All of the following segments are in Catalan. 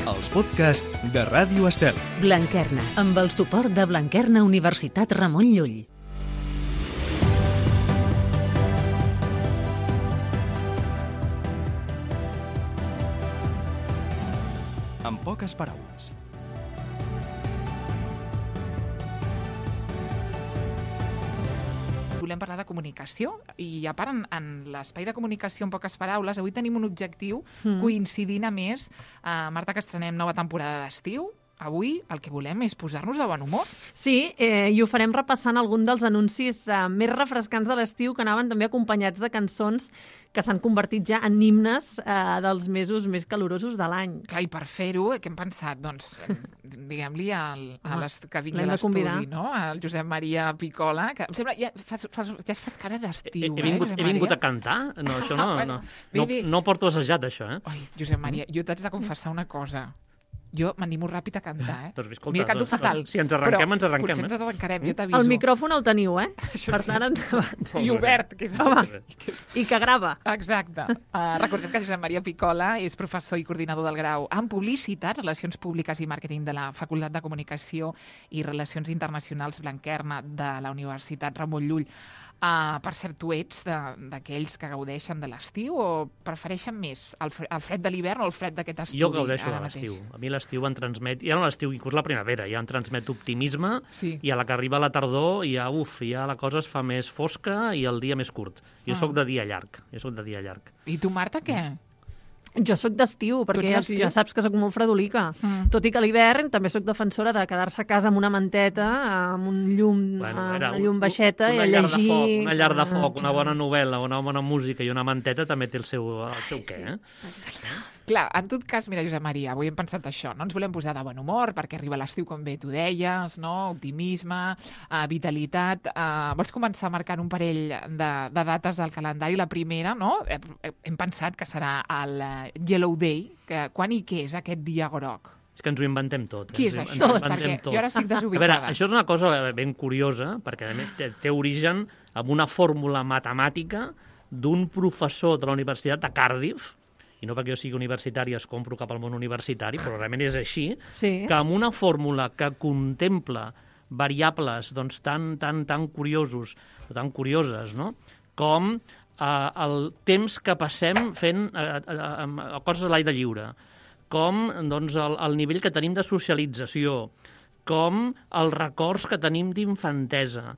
els podcasts de Ràdio Estel. Blanquerna, amb el suport de Blanquerna Universitat Ramon Llull. En poques paraules. Volem parlar de comunicació i a part en l'espai de comunicació en poques paraules avui tenim un objectiu coincidint a més, Marta, que estrenem nova temporada d'estiu. Avui el que volem és posar-nos de bon humor. Sí, i ho farem repassant algun dels anuncis més refrescants de l'estiu que anaven també acompanyats de cançons que s'han convertit ja en himnes dels mesos més calorosos de l'any. Clar, i per fer-ho, què hem pensat? Doncs, diguem-li que vingui a l'estudi, no? El Josep Maria Picola, que em sembla, ja fas cara d'estiu, He vingut a cantar? No, això no. No porto assajat, això, Oi, Josep Maria, jo t'haig de confessar una cosa. Jo m'animo ràpid a cantar, Doncs, escolta, mira, canto fatal. Si ens arrenquem, ens arrenquem. Potser ens arrencarem, jo t'aviso. El micròfon el teniu, Per tant, endavant. I obert, que és... Home, i que grava. Exacte. Recordem que Josep Maria Picola és professor i coordinador del grau en Publicitat, Relacions Públiques i Màrqueting de la Facultat de Comunicació i Relacions Internacionals Blanquerna de la Universitat Ramon Llull. Per cert, tu ets d'aquells que gaudeixen de l'estiu o prefereixen més el fred de l'hivern o el fred d'aquest estudi? Jo gaudeixo de l'estiu. A mi l'estiu em transmet, ja no l'estiu, inclús la primavera, ja em transmet optimisme, i a la que arriba la tardor ja la cosa es fa més fosca i el dia més curt. Jo sóc de dia llarg, I tu, Marta, què? Jo sóc d'estiu, perquè ja saps que sóc molt fredolica. Tot i que a l'hivern també sóc defensora de quedar-se a casa amb una manteta, amb un llum, una llum baixeta i a llegir... Una llar de foc, una bona novel·la, una bona música i una manteta també té el seu què, Clar, en tot cas, mira, Josep Maria, avui hem pensat això, no ens volem posar de bon humor perquè arriba l'estiu, com bé tu deies, no? Optimisme, vitalitat. Vols començar marcant un parell de dates al calendari? La primera, no? Hem pensat que serà el Yellow Day. Quan i què és aquest dia groc? És que ens ho inventem tot. Què és això? Perquè jo ara estic desubicada. A veure, això és una cosa ben curiosa, perquè a més té origen en una fórmula matemàtica d'un professor de la Universitat de Cardiff, i no perquè jo sigui universitari es compro cap al món universitari, però realment és així, que amb una fórmula que contempla variables doncs, tan curiosos o tan curioses, no? Com el temps que passem fent coses a l'aire lliure, com doncs, el nivell que tenim de socialització, com els records que tenim d'infantesa,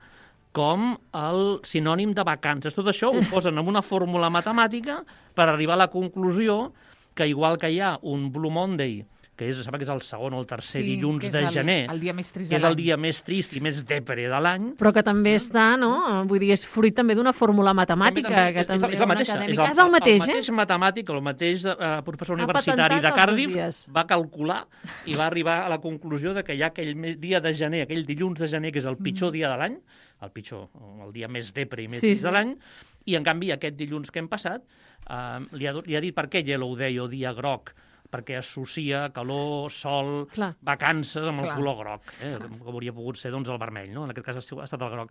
com el sinònim de vacances. Tot això ho posen en una fórmula matemàtica per arribar a la conclusió que, igual que hi ha un Blue Monday, que és el segon o el tercer dilluns de gener, el dia més trist que és el dia més trist i més depre de l'any... Però que també està, no? Vull dir, és fruit també d'una fórmula matemàtica. És la mateixa. És el mateix, el mateix matemàtic, el mateix professor universitari de Cardiff va calcular i va arribar a la conclusió de que hi ha aquell dia de gener, aquell dilluns de gener, que és el pitjor dia de l'any, el dia més depre i més trist de l'any, i en canvi aquest dilluns que hem passat li ha dit per què Yellow Day o dia groc, perquè associa calor, sol, vacances amb el color groc, que hauria pogut ser doncs, el vermell, no? En aquest cas ha estat el groc.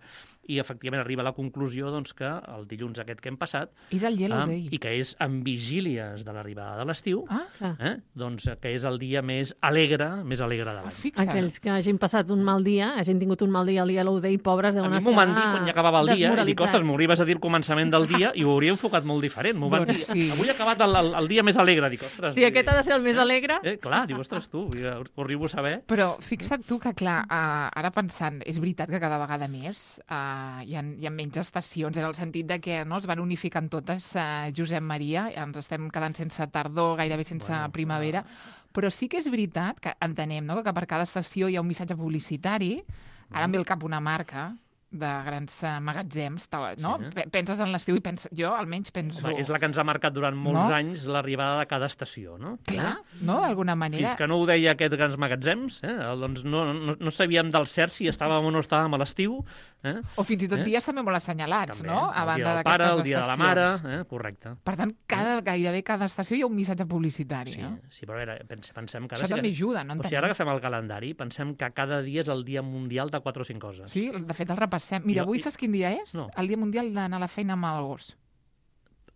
I efectivament arriba a la conclusió doncs, que el dilluns aquest que hem passat, és el Yellow Day, i que és en vigílies de l'arribada de l'estiu, doncs, que és el dia més alegre de l'any. Aquells que hagin passat un mal dia, hagin tingut un mal dia al Yellow Day, pobres, deuen estar desmoralitzats. A mi m'ho van dir quan ja acabava el dia, i dic, ostres, m'ho arribes a dir al començament del dia, i ho hauria enfocat molt diferent. M'ho van dir, avui ha acabat el dia més alegre. Dic, ostres... Sí, aquest ha de ser el més alegre. Clar, diu, ostres, tu, ho arribo a saber. Però fixa't tu que, clar, ara pensant, és veritat que cada vegada més hi ha menys estacions, en el sentit de que es van unificant totes, Josep Maria, ens estem quedant sense tardor, gairebé sense primavera, però sí que és veritat que entenem que per cada estació hi ha un missatge publicitari, ara em ve al cap una marca de grans magatzems, no? Penses en l'estiu i jo almenys penso... Home, és la que ens ha marcat durant molts anys l'arribada de cada estació, no? Clar, no? D'alguna manera... Fins que no ho deia aquests grans magatzems, doncs no sabíem del cert si estàvem o no estàvem a l'estiu. O fins i tot dies també molt assenyalats, no? A banda d'aquestes estacions. El dia de la mare, correcte. Per tant, gairebé cada estació hi ha un missatge publicitari, no? Sí, però a veure, pensem que... Això també ajuda, no? O sigui, ara agafem el calendari, pensem que cada dia és el dia mundial de 4 o 5 coses. Sí, de fet el repassem. Mira, avui saps quin dia és? No. El dia mundial d'anar a la feina amb el gos.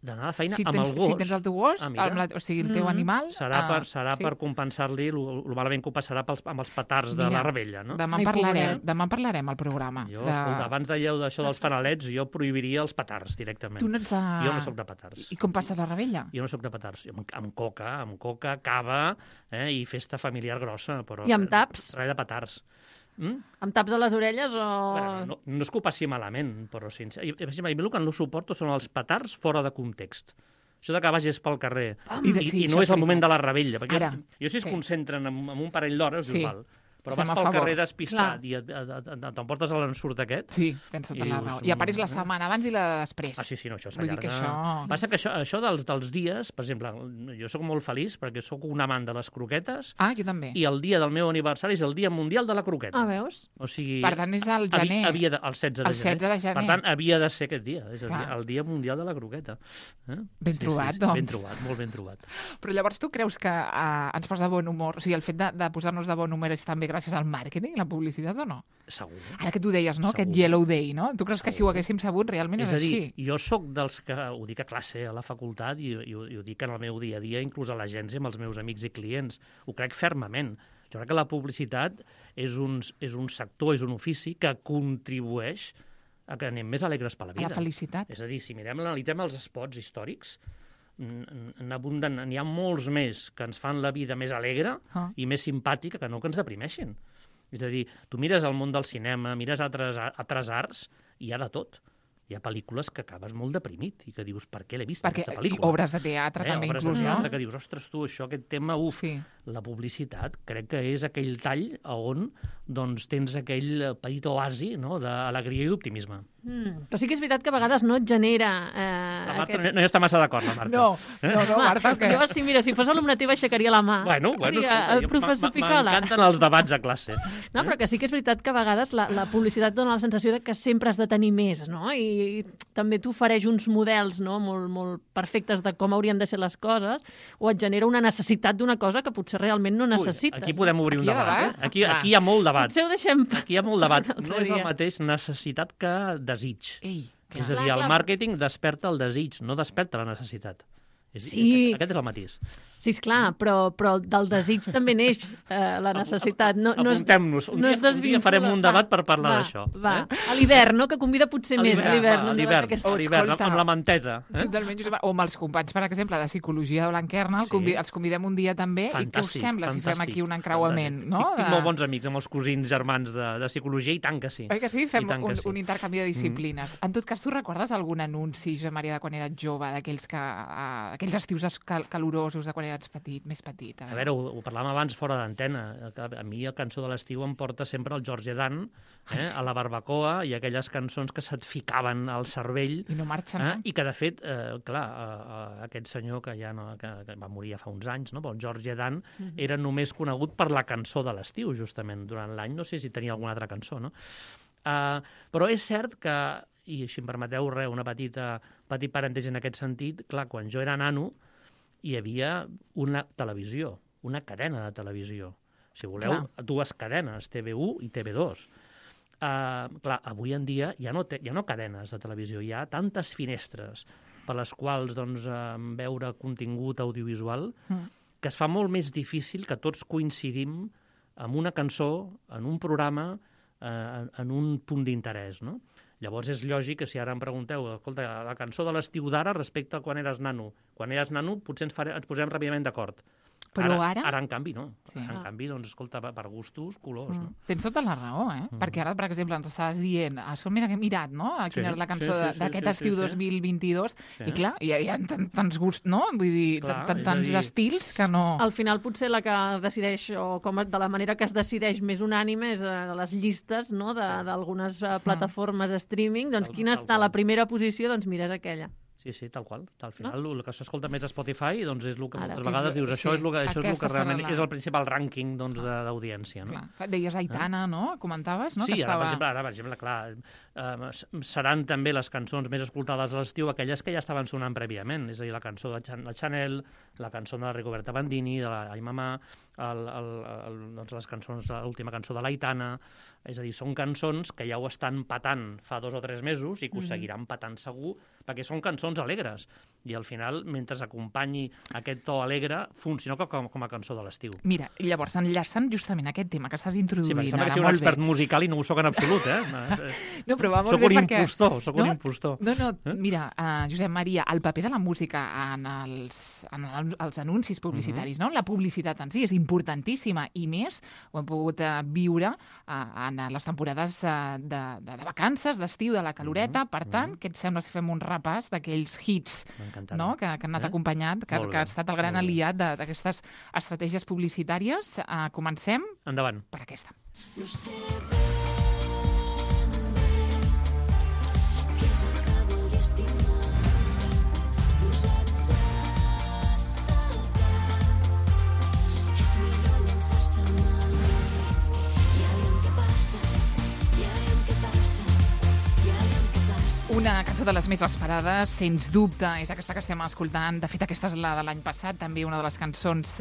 d'anar a la feina si amb el tens, gos. Si tens el teu gos, mira. o sigui, el teu animal... Serà per compensar-li el malament que ho passarà amb els petards de la rebella, no? Demà parlarem al programa. Jo, escolta, abans dèieu d'això dels fanalets, jo prohibiria els petards directament. Tu no ets Jo no soc de petards. I com passes la rebella? Jo no soc de petards. Amb coca, cava i festa familiar grossa. Però I amb taps? Res de petards. Amb taps a les orelles o... Bueno, no és que ho passi malament, però a mi el que no suporto són els petards fora de context. Això que vagis pel carrer i no és el moment de la rebella. Perquè jo si es concentren en un parell d'hores, dius, val. Però vas pel carrer despistat i t'emportes a l'ensurt aquest. Sí, tens tota la raó. I apareix la setmana abans i la després. Sí, no, això s'allarga. Passa que això dels dies, per exemple, jo sóc molt feliç perquè sóc un amant de les croquetes. Jo també. I el dia del meu aniversari és el dia mundial de la croqueta. Veus? O sigui, per tant, és el gener. El 16 de gener. Per tant, havia de ser aquest dia. És el dia mundial de la croqueta. Ben trobat, doncs. Ben trobat, molt ben trobat. Però llavors tu creus que ens posa de bon humor? O sigui, el fet de posar-nos de bon humor és també gràcies al màrqueting, la publicitat, o no? Segur. Ara que tu deies, no?, aquest Yellow Day, no? Tu creus que si ho haguéssim sabut realment és així? És a dir, jo sóc dels que ho dic a classe, a la facultat, i ho dic en el meu dia a dia, inclús a l'agència amb els meus amics i clients. Ho crec fermament. Jo crec que la publicitat és un sector, és un ofici que contribueix a que anem més alegres per la vida. A la felicitat. És a dir, si analitzem els spots històrics, n'hi ha molts més que ens fan la vida més alegre i més simpàtica que no que ens deprimeixin. És a dir, tu mires el món del cinema, mires altres arts, i hi ha de tot. Hi ha pel·lícules que acabes molt deprimit i que dius, per què l'he vist, aquesta pel·lícula? Perquè obres de teatre també, inclús, no? Obres de teatre que dius, ostres, tu, aquest tema, la publicitat, crec que és aquell tall on tens aquell petit oasi d'alegria i d'optimisme. Però sí que és veritat que a vegades no et genera... La Marta no hi està massa d'acord, la Marta. No, Marta, què? Mira, si fos alumne teva aixecaria la mà. Bueno, el professor Picola. M'encanten els debats a classe. No, però que sí que és veritat que a vegades la publicitat dona la sensació de que sempre has de tenir més, no? I també t'ofereix uns models molt, molt perfectes de com haurien de ser les coses, o et genera una necessitat d'una cosa que potser realment no necessites. Aquí podem obrir un debat. Aquí hi ha molt debat. Potser ho deixem... Aquí hi ha molt debat. No és el mateix necessitat que desig. És a dir, el màrqueting desperta el desig, no desperta la necessitat. Sí. Aquest és el matís. Sí, esclar, però del desig també neix la necessitat. Apuntem-nos. Un dia farem un debat per parlar d'això. A l'hivern, no? Que convida potser més a l'hivern. A l'hivern, amb la manteta. Totalment, Josep. O amb els companys, per exemple, de Psicologia de Blanquerna, els convidem un dia també. I què us sembla si fem aquí un encreuament? Tinc molt bons amics amb els cosins germans de Psicologia, i tant que sí. Oi que sí? Fem un intercanvi de disciplines. En tot cas, tu recordes algun anunci, Josep Maria, de quan eres jove, d'aquells estius calorosos de quan eres petit, més petit? A veure, ho parlàvem abans fora d'antena. A mi la cançó de l'estiu em porta sempre el George Dan, a la barbacoa, i aquelles cançons que se't ficaven al cervell. I no marxen, no? I que, de fet, clar, aquest senyor que que va morir fa uns anys, no? El George Dan era només conegut per la cançó de l'estiu, justament. Durant l'any no sé si tenia alguna altra cançó, no? Però és cert que, i si em permeteu un petit parèntesi en aquest sentit, clar, quan jo era nano, hi havia una televisió, una cadena de televisió. Si voleu, dues cadenes, TV1 i TV2. Clar, avui en dia ja no cadenes de televisió, hi ha tantes finestres per les quals veure contingut audiovisual que es fa molt més difícil que tots coincidim en una cançó, en un programa, en un punt d'interès, no? Llavors és lògic que si ara em pregunteu, escolta, la cançó de l'estiu d'ara respecte a quan eres nano. Quan eres nano potser ens posem ràpidament d'acord. Però ara... Ara, en canvi, no. En canvi, escolta, per gustos, colors, no? Tens tota la raó, Perquè ara, per exemple, ens estaves dient, mira que he mirat, no?, quina era la cançó d'aquest estiu 2022, i clar, hi ha tants gusts, no? Vull dir, tants estils que no... Al final, potser la que decideix, o de la manera que es decideix més unànime, és les llistes, no?, d'algunes plataformes de streaming, doncs quina està a la primera posició, doncs mira, és aquella. Sí, tal qual. Al final, el que s'escolta més a Spotify és el que moltes vegades dius, això és el que realment és el principal rànquing d'audiència. Deies Aitana, no? Comentaves, no? Sí, ara, per exemple, clar, seran també les cançons més escoltades a l'estiu aquelles que ja estaven sonant prèviament, és a dir, la cançó de la Chanel, la cançó de la Rigoberta Bandini, de la Ai Mamà, les cançons, l'última cançó de l'Aitana, és a dir, són cançons que ja ho estan patant fa 2 o 3 mesos i que ho seguiran patant segur perquè són cançons alegres. I al final, mentre acompanyi aquest to alegre, funciona com a cançó de l'estiu. Mira, llavors, enllaçant justament aquest tema que estàs introduint Sí, perquè sembla ara, que sigui un molt bé. expert musical i no ho soc en absolut, No, però va molt Soc bé un perquè... impostor, soc un No? impostor. No, mira, Josep Maria, el paper de la música en els anuncis publicitaris, no? La publicitat en si és importantíssima i més ho hem pogut viure en les temporades de vacances, d'estiu, de la caloreta. Per tant, què et sembla si fem un repàs d'aquells hits, no? que han anat acompanyat, que ha estat el gran aliat d'aquestes estratègies publicitàries? Comencem Endavant. per aquesta. No sé ben bé què és el que vull estimar, posats a saltar, és millor llançar-se al mar. Ja veiem què passa, ja veiem què passa, ja veiem què passa. Una cançó de les més esperades, sens dubte, és aquesta que estem escoltant. De fet, aquesta és la de l'any passat, també una de les cançons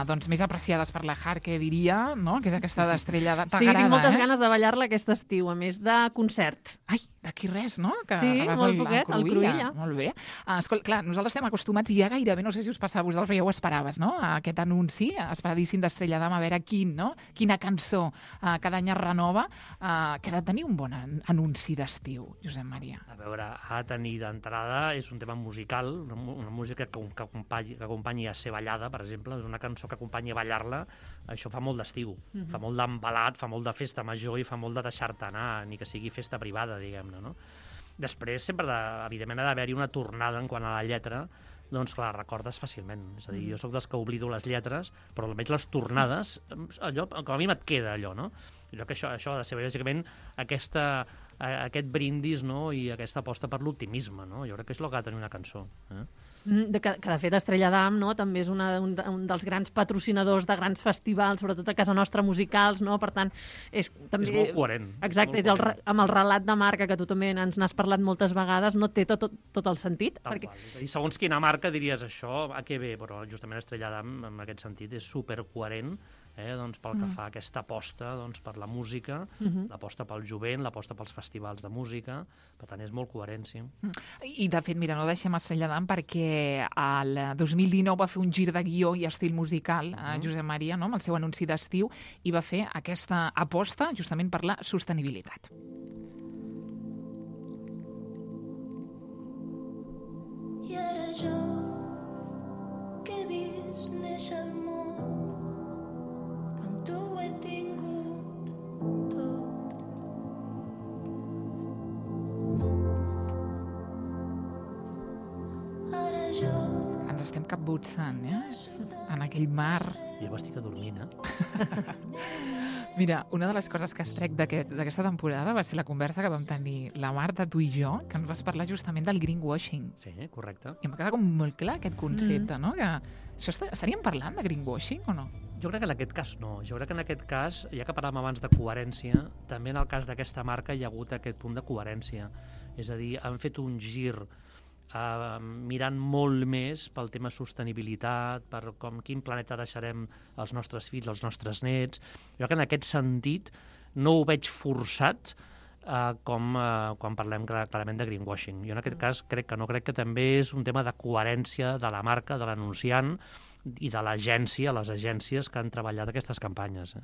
doncs, més apreciades per la Harke, diria, no? Que és aquesta d'Estrella de... Sí, tinc moltes ganes de ballar-la aquest estiu, a més de concert. Ai, d'aquí res, no? Que Sí, vas molt poquet, al Cruïlla. Molt bé. Escolta, clar, nosaltres estem acostumats ja gairebé, no sé si us passava a vosaltres, però ja ho esperaves, no? Aquest anunci esperadíssim d'Estrella d'Am, a veure quina cançó cada any es renova, que ha de tenir un bon anunci d'estiu, Josep Maria. A veure, ha de tenir d'entrada, és un tema musical, una música que acompanyi a ser ballada, per exemple, és una cançó que acompanyi a ballar-la, això fa molt d'estiu, fa molt d'embalat, fa molt de festa major i fa molt de deixar-te anar, ni que sigui festa privada, diguem-ne, no? Després, sempre, evidentment, ha d'haver-hi una tornada en quant a la lletra, doncs clar, recordes fàcilment. És a dir, jo sóc dels que oblido les lletres, però almenys les tornades, allò, com a mi et queda allò, no? Jo crec que això ha de ser, bàsicament, aquest brindis, no? I aquesta aposta per l'optimisme, no? Jo crec que és el que ha de tenir una cançó. Que de fet Estrella d'Am, no? També és un dels grans patrocinadors de grans festivals, sobretot a casa nostra musicals, no? Per tant, també... És molt coherent. Exacte, amb el relat de marca, que tu també ens n'has parlat moltes vegades, no té tot el sentit. Tal qual. És a dir, segons quina marca diries això, a què ve? Però justament Estrella d'Am, en aquest sentit, és supercoherent, doncs, pel que fa a aquesta aposta doncs, per la música, l'aposta pel jovent, l'aposta pels festivals de música, per tant és molt coherent, sí. I de fet, mira, no deixem Estrella d'Am perquè el 2019 va fer un gir de guió i estil musical a Josep Maria, no? Amb el seu anunci d'estiu, i va fer aquesta aposta justament per la sostenibilitat. I ara jo, que he vist néixer el món, tu ho he tingut tot. Ara jo... Ens estem capbutzant, en aquell mar. Jo estic adormint, Mira, una de les coses que es trec d'aquesta temporada va ser la conversa que vam tenir la Marta, tu i jo, que ens vas parlar justament del greenwashing. Sí, correcte. I em queda com molt clar aquest concepte, no? Que això estaríem parlant de greenwashing o no? Jo crec que en aquest cas no. Jo crec que en aquest cas, ja que parlàvem abans de coherència, també en el cas d'aquesta marca hi ha hagut aquest punt de coherència. És a dir, han fet un gir mirant molt més pel tema sostenibilitat, per quin planeta deixarem als nostres fills, als nostres nets. Jo crec que en aquest sentit no ho veig forçat quan parlem clarament de greenwashing. Jo en aquest cas crec que també és un tema de coherència de la marca, de l'anunciant, i de l'agència, les agències que han treballat aquestes campanyes.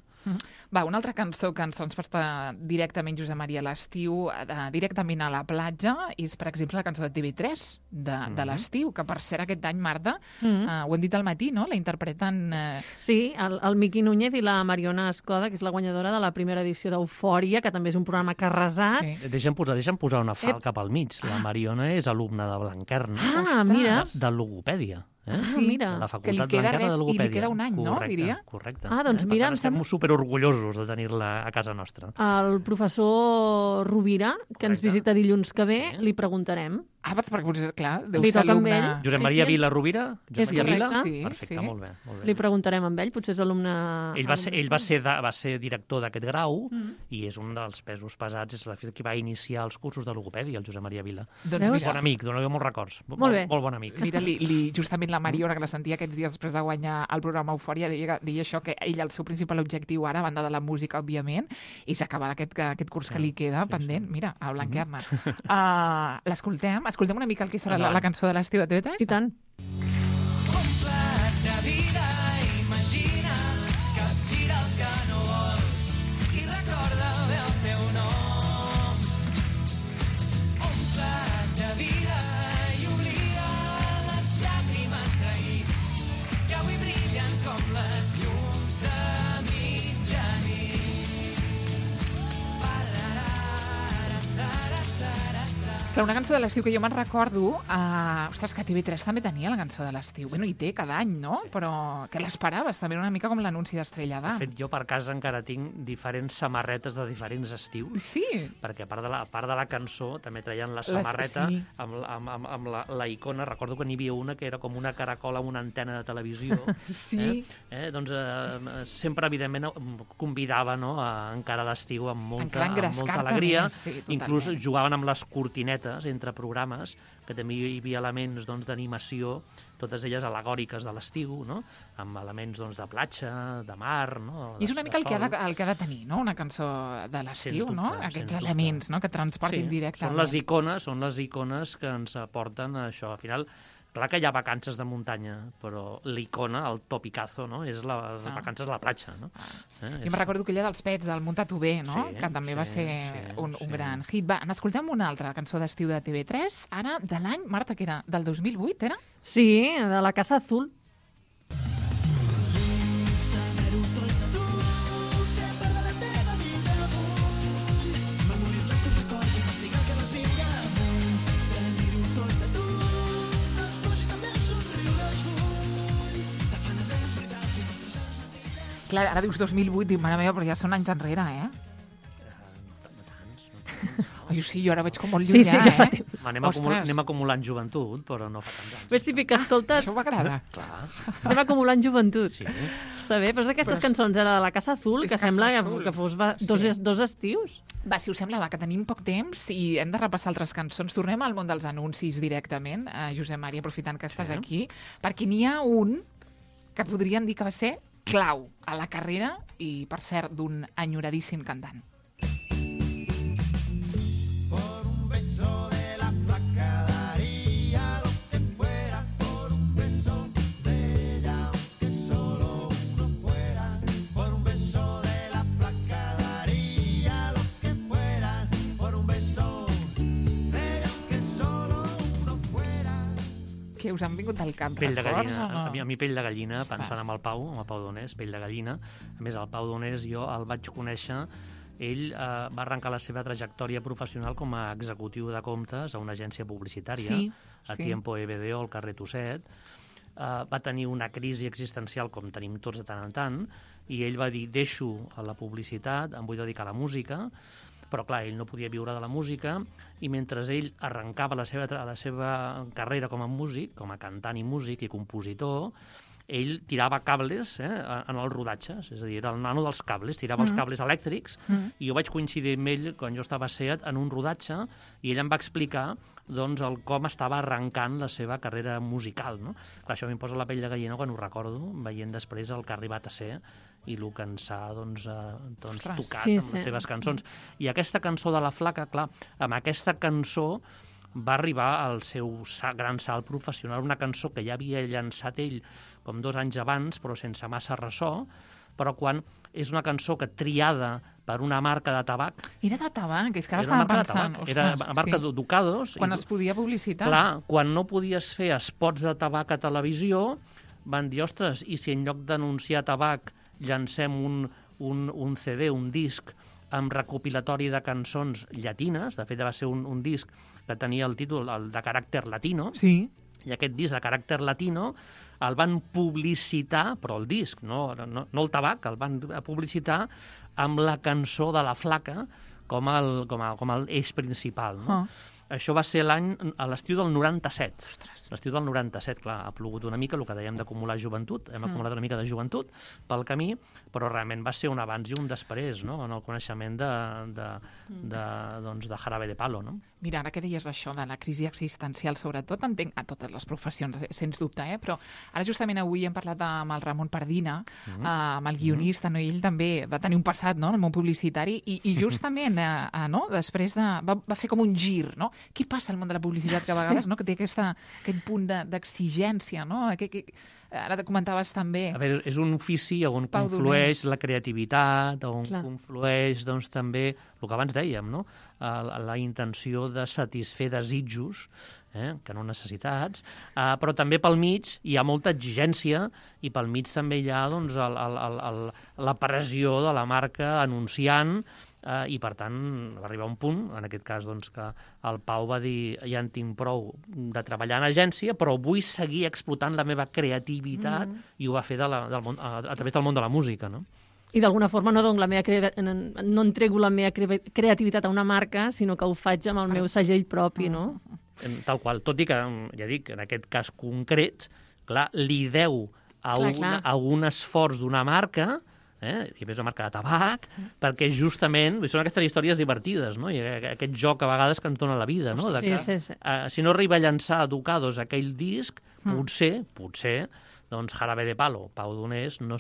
Va, una altra cançó que ens porta directament, Josep Maria, a l'estiu, directament a la platja, és, per exemple, la cançó de TV3 de l'estiu, que per cert aquest any, Marta, ho hem dit al matí, no? La interpreten... Sí, el Miqui Núñez i la Mariona Escoda, que és la guanyadora de la primera edició d'Eufòria, que també és un programa que ha arrasat. Sí. Deixa'm posar una falca pel mig. La Mariona és alumna de Blanquerna, Mira. de logopèdia. Sí, mira. De la Que li Facultat queda Blanquerna de Logopèdia. i li queda un any, no? Diria. Correcte. Doncs mira, per tant, estem superorgullosos de tenir-la a casa nostra. El professor Rovira, que ens visita dilluns que ve, li preguntarem. Perquè potser, clar, deu Li ser toca amb alumne... ell. Josep Sí, Maria sí, Vila Rovira? És Josep Maria Vila? correcte. Sí, Perfecte, sí. molt bé. Molt bé. Li preguntarem amb ell, potser és alumne... Ell va ser director d'aquest grau i és un dels pesos pesats, és la qui va iniciar els cursos de logopèdia, el Josep Maria Vila. Doncs Veus? mira, Bon amic, doneu molts records. Molt bé. Molt bon amic. mira justament la Mariona, que la sentia aquests dies després de guanyar el programa Eufòria, deia això, que ell, el seu principal objectiu ara, a banda de la música, òbviament, és acabar aquest curs que li queda pendent. Mira, a Blanquerna. L'escoltem escoltem una mica el que serà Endavant. la cançó de l'estiu de TV3? I tant. Clar, una cançó de l'estiu que jo me'n recordo... ostres, que TV3 també tenia la cançó de l'estiu. Bueno, i té cada any, no? Però que l'esperaves també, una mica com l'anunci d'Estrella De d'Am. fet, jo per casa encara tinc diferents samarretes de diferents estius, Sí. perquè a part de la cançó també traien la samarreta sí. amb la icona. Recordo que n'hi havia una que era com una caracola amb una antena de televisió. Sí. Doncs sempre, evidentment, convidava, no, a encara l'estiu amb molta engrescar-te alegria. més, sí, totalment. Inclús jugaven amb les cortinetes entre programes, que també hi havia elements d'animació, totes elles al·legòriques de l'estiu, no? Amb elements de platja, de mar... No? I és una mica el que, sol. el que ha de tenir, no?, una cançó de l'estiu, Sens no? dubte, Aquests sens elements, dubte. no?, que transportin directament. Són les icones que ens aporten això. Al final, clar que hi ha vacances de muntanya, però l'icona, el topicazo, no?, és les vacances a la platja, no? Jo me'n recordo aquella dels Pets, del Munta-t'ho bé, no?, Sí, que també va sí, ser un sí. gran hit. Va, n'escoltem una altra cançó d'estiu de TV3, ara de l'any, Marta, que era del 2008, era? Sí, de la Casa Azul. Clar, ara dius 2008, dic, mare meva, però ja són anys enrere, eh? Ai, sí, jo ara veig com molt Sí, llunyà, que fa eh? temps. Anem acumulant joventut, però no fa tant anys. És típic que escoltes... Això m'agrada. Clar, Anem acumulant joventut. sí. Està bé, però és d'aquestes Però és- cançons, era de la Casa Azul, és que Casa sembla Azul. que fos dos estius. Va, si us sembla, va, que tenim poc temps i hem de repassar altres cançons. Tornem al món dels anuncis directament, Josep Maria, aprofitant que estàs aquí, perquè n'hi ha un que podríem dir que va ser clau a la carrera i, per cert, d'un enyoradíssim cantant. Que us han vingut del cap Pell de records, gallina. o no? A mi pell de gallina, Ostres. pensant en el Pau Donés, pell de gallina. A més, el Pau Donés jo el vaig conèixer. Ell va arrencar la seva trajectòria professional com a executiu de comptes a una agència publicitària, Sí, a sí. Tiempo EBDO, al carrer Tosset. Va tenir una crisi existencial, com tenim tots de tant en tant, i ell va dir, deixo la publicitat, em vull dedicar a la música, però clar, ell no podia viure de la música, i mentre ell arrencava la seva carrera com a músic, com a cantant i músic i compositor, ell tirava cables en els rodatges, és a dir, era el nano dels cables, tirava els cables elèctrics, i jo vaig coincidir amb ell quan jo estava a SEAT en un rodatge, i ell em va explicar doncs, com estava arrencant la seva carrera musical. No? Clar, això m'imposa la pell de gallina quan ho recordo, veient després el que ha arribat a ser i el que ens ha Ostres. tocat Sí, amb sí. les seves cançons. I aquesta cançó de la Flaca, clar, amb aquesta cançó va arribar al seu gran salt professional, una cançó que ja havia llançat ell com 2 anys abans, però sense massa ressò, però quan és una cançó que triada per una marca de tabac, Era de tabac, és que ara era una estava marca de pensant. tabac, era ostres, la marca sí. Ducados. Quan es podia publicitar. Clar, quan no podies fer espots de tabac a televisió, van dir, ostres, i si en lloc d'anunciar tabac llancem un CD, un disc, amb recopilatori de cançons llatines, de fet va ser un disc que tenia el títol el de caràcter latino, Sí. i aquest disc de caràcter latino el van publicitar, però el disc, no el tabac, el van publicitar amb la cançó de la Flaca com el eix principal. No? Ah. Això va ser a l'estiu del 97. Ostres. L'estiu del 97, clar, ha plogut una mica, el que dèiem d'acumular joventut, hem acumulat una mica de joventut pel camí, però realment va ser un abans i un després, no?, en el coneixement de Jarabe de Palo, no? Mira, ara que deies això de la crisi existencial, sobretot, entenc a totes les professions, sens dubte, però ara justament avui hem parlat amb el Ramon Pardina, amb el guionista, no? I ell també va tenir un passat, no?, en el món publicitari, i justament, no?, després va fer com un gir, no?, Què passa al món de la publicitat que a vegades, no? Que té aquest punt d'exigència, no? Ara comentaves també... A veure, és un ofici on Pau conflueix Donés. la creativitat, on Clar. conflueix doncs, també el que abans dèiem, no? La intenció de satisfer desitjos, que no necessitats, però també pel mig hi ha molta exigència i pel mig també hi ha doncs, la pressió de la marca anunciant i, per tant, va arribar un punt, en aquest cas, doncs, que el Pau va dir ja en tinc prou de treballar en agència, però vull seguir explotant la meva creativitat i ho va fer a través del món de la música, no? I d'alguna forma no no entrego la meva creativitat a una marca, sinó que ho faig amb el meu segell propi, no? Tal qual, tot i que, ja dic, en aquest cas concret, clar, li deu a un esforç d'una marca, i a més una marca de tabac, perquè justament són aquestes històries divertides, no? I aquest joc a vegades que ens dona la vida, no? Sí. Si no arriba a llançar a Ducados aquell disc, potser, doncs Jarabe de Palo, Pau Donés, no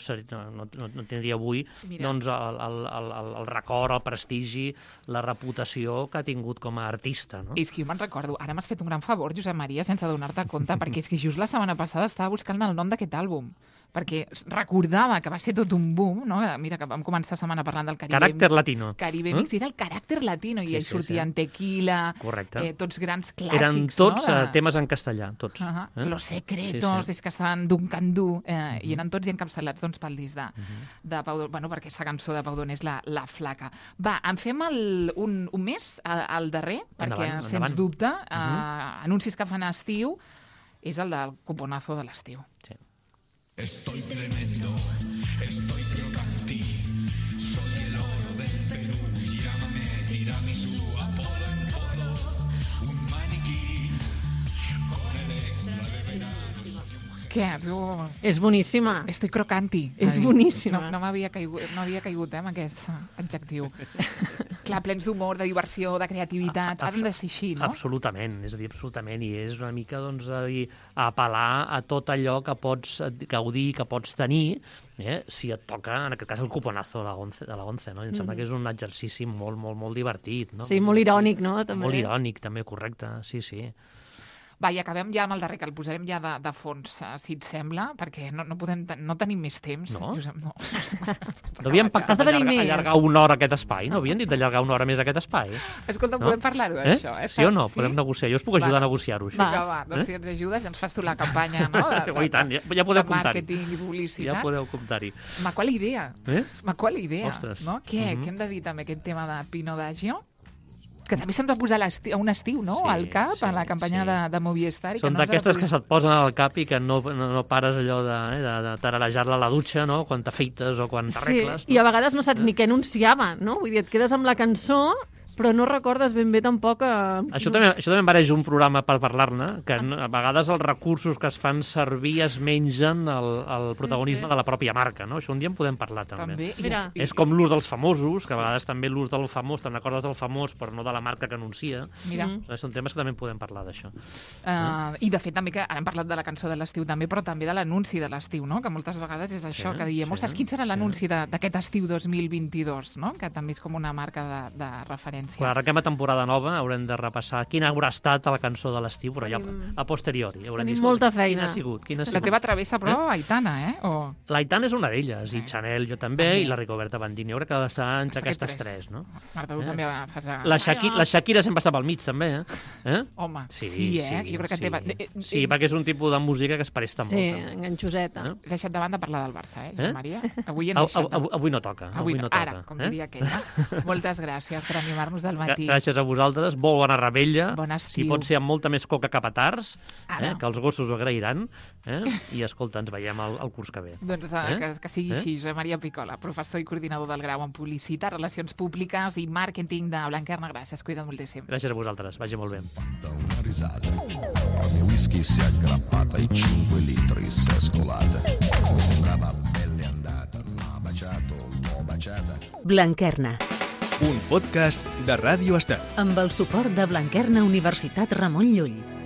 tindria avui doncs, el record, el prestigi, la reputació que ha tingut com a artista. No? És que jo me'n recordo, ara m'has fet un gran favor, Josep Maria, sense donar-te compte, perquè és que just la setmana passada estava buscant el nom d'aquest àlbum, perquè recordava que va ser tot un boom, no? Mira, que vam començar la setmana parlant del Caribe... Caràcter latino. Caribe Mix, era el caràcter latino, i ells sortien Tequila, tots grans clàssics. Eren tots temes en castellà, tots. Los Secretos, és que estaven d'un candú, i eren tots encapçalats doncs, pel disc de Pau Donés, bueno, per aquesta cançó de Pau Donés, la Flaca. Va, en fem un més, al darrer, perquè, sens dubte, anuncis que fan a estiu, és el del cuponazo de l'estiu. Sí. Estoy tremendo, estoy crocantí, soy el oro del Perú, llámame tiramisú, Apolo en polo, un maniquí, con el extra de verano. Què? És boníssima. Estoy crocanti. És boníssima. No m'havia caigut amb aquest adjectiu. Clar, plens d'humor, de diversió, de creativitat, han de ser així, no? Absolutament, és a dir, absolutament, i és una mica, doncs, a dir, apel·lar a tot allò que pots gaudir, que pots tenir, si et toca, en aquest cas, el cuponazo de la ONCE, no? I em sembla que és un exercici molt, molt, molt divertit, no? Sí, molt irònic, no? També. Molt irònic, també, correcte, sí. Va, i acabem ja amb el darrer, que el posarem ja de fons, si et sembla, perquè no tenim més temps. No? Josep, no. No havíem pactat allargar una hora aquest espai? No havien dit d'allargar una hora més aquest espai? Escolta, podem parlar-ho d'això, Sí o no? Podem negociar. Jo us puc ajudar a negociar-ho, això. Va, doncs si ens ajudes, ens fas tu la campanya, no? I tant, ja podeu de comptar-hi. màrqueting i publicitat. Ja podeu comptar-hi. Ma, qual idea? Qual idea? Ostres. No? Què hem de dir també, aquest tema de Pino D'Agio? Que també se'ns va posar a un estiu, no?, al cap, a la campanya de Movistar. Són d'aquestes que se't posen al cap i que no pares allò de tararejar-la a la dutxa, no?, quan t'afeites o quan t'arregles. Sí, i a vegades no saps ni què anunciava, no? Vull dir, et quedes amb la cançó, però no recordes ben bé tampoc... Això també em mereix un programa per parlar-ne, que a vegades els recursos que es fan servir es mengen el protagonisme de la pròpia marca, no? Això un dia en podem parlar, també. Mira. És com l'ús dels famosos, que a vegades també l'ús del famós, te'n recordes del famós, però no de la marca que anuncia. Mira. Són temes que també en podem parlar, d'això. I, de fet, també que ara hem parlat de la cançó de l'estiu també, però també de l'anunci de l'estiu, no?, que moltes vegades és això, que diem, ostres, quin serà l'anunci d'aquest estiu 2022, no?, que també és com una marca de referència. Quan arrenquem a temporada nova haurem de repassar quina haurà estat la cançó de l'estiu, però ja a posteriori. Tenim molta feina. Quina ha sigut? La teva travessa, però, Aitana, O... L'Aitana és una d'elles, i Chanel jo també, i la Rigoberta Bandini. Jo crec que està entre aquestes tres, no? Marta, tu també fas... La Shakira sempre està pel mig, també, Home, sí, Jo crec que té... Sí, perquè és un tipus de música que es presta molt. Sí, enganxoseta. He deixat de banda parlar del Barça, Joan Maria? Avui no toca. Ara, com diria aquell. Moltes gràcies per animar-nos del matí. Gràcies a vosaltres, molt bona rebella. Bon estiu. Si pot ser amb molta més coca que petards, que els gossos ho agrairan. I, escolta, ens veiem el curs que ve. Doncs que sigui així. Josep Maria Picola, professor i coordinador del grau en Publicitat, Relacions Públiques i Màrqueting de Blanquerna. Gràcies, cuida't moltíssim. Gràcies a vosaltres, vagi molt bé. Una risata, la mia whisky si è aggrappata ai 5 litri si è scolata. Sembrava pelle andata, ma baciato, l'ho baciata. Blanquerna, Un podcast de Ràdio Estel. amb el suport de Blanquerna Universitat Ramon Llull.